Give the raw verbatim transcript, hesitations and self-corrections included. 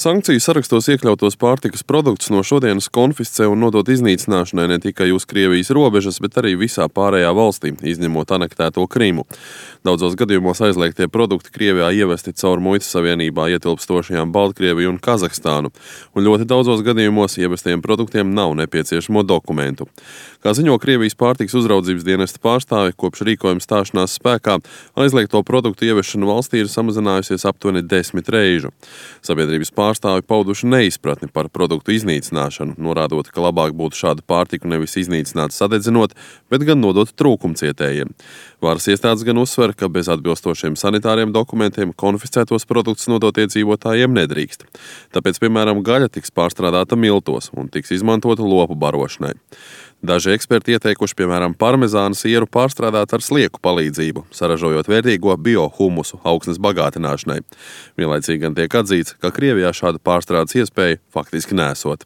Sankciju sarakstos iekļautos pārtikas produktus no šodienas konfiscē un nodot iznīcināšanai ne tikai uz Krievijas robežas, bet arī visā pārējā valstī, izņemot anektēto Krimu. Daudzos gadījumos aizliegtie produkti Krievijā ievesti caur muitas savienībā ietilpstošajām Baltkrieviju un Kazahstānu, un ļoti daudzos gadījumos ievestiem produktiem nav nepieciešamo dokumentu. Kā ziņo Krievijas pārtikas uzraudzības dienesta pārstāvi, kopš rīkojuma stāšanās spēkā aizliegto produktu ieviešana valstī ir samazinājusies aptuveni desmit reižu. Sabiedrības pārstāvi pauduši neizpratni par produktu iznīcināšanu, norādot, ka labāk būtu šādu pārtiku nevis iznīcināt sadedzinot, bet gan nodot trūkumcietējiem. Varas iestādes gan uzsver, ka bez atbilstošiem sanitāriem dokumentiem konfiscētos produktus nodot iedzīvotājiem nedrīkst. Tāpēc, piemēram, gaļa tiks pārstrādāta miltos un tiks izmantota lopu barošanai. Daži eksperti ieteikuši, piemēram, parmezāna sieru pārstrādāt ar slieku palīdzību, saražojot vērtīgo biohumusu augsnes bagātināšanai. Vienlaicīgi gan tiek atzīts, ka Krievijā šāda pārstrādes iespēja faktiski nesot.